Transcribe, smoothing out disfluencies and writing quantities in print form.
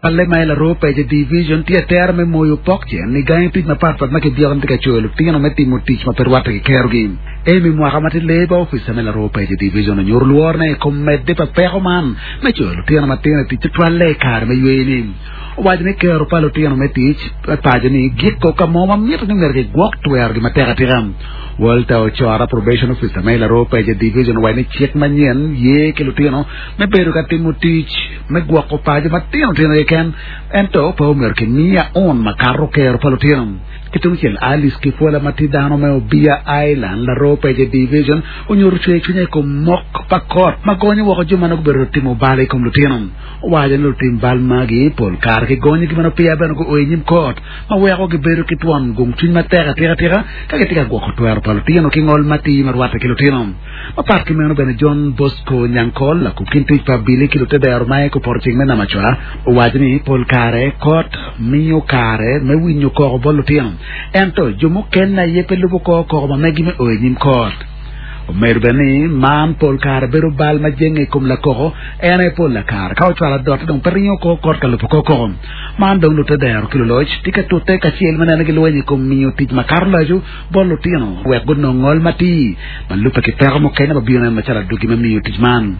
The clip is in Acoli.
Balle ma i Laroo Pece Division tye atera me moyo pok cen i gangi tic mapatpat ma kibyeko ni tye ka coyo lutino me timo tic ma pe rwatte ki kerogi. Amy mwaka ma tye Labour Officer me Laroo Pece Division onyuto lworone i kom medde pa peko man me coyo lutino matino i tic tutwalle i kare me yweyo-ni. Owaco ni kero pa lutino me tic me paco-ni giko ka mo ma mito ni myero kigwok twerogi matek atika. Walter Ocora, Probation Officer ma i Laroo Pece Division owaco ni cik manyen ye ki lutino me bedo ka timo tic me gwoko paco matino tino keken, ento pe omyero kimi aun makato kero pa lutino. Ki tungcel, Alice Kipwola ma tye dano me Obia Island, Laroo Pece Division, onyuto cwer cwinye i kom mok pa kot ma gonyo woko jo ma nongo gubedo timo bal i kom lutino. Owaco ni lutim bal magi pol kare kigonyogi ma nongo peya bene guo i nyim kot, ma weko gibedo ki twon gung cwiny matek atika tika ka gitye ka gwoko twero pa lutino ki ngol matir ma rwatte ki lutino. Mapat ki meno bene John Bosco Nyankol, lakub kin tic pa abili ki lutedero ma i kupoto ceng me Namacwa, owaco ni pol kare kot miyo kare me winyo koko bot lutino, ento jo mukene aye pe lubo kor koko ma megi me o i nyim kot. Omedo bene ni man pol kare bedo bal ma jenge i kom lakoko, en aye pol lakare ka ocwalo adotte dong pe ringo kor kot ka lubo kor koko. Man dong lutedero ki luloc tye ka tute kacel me neno gilweny i kom miyo tic makato laco bot lutino wek gunong ngol matir ma lubbe ki peko mukene ma bino nen macalo adwogi me miyo tic man.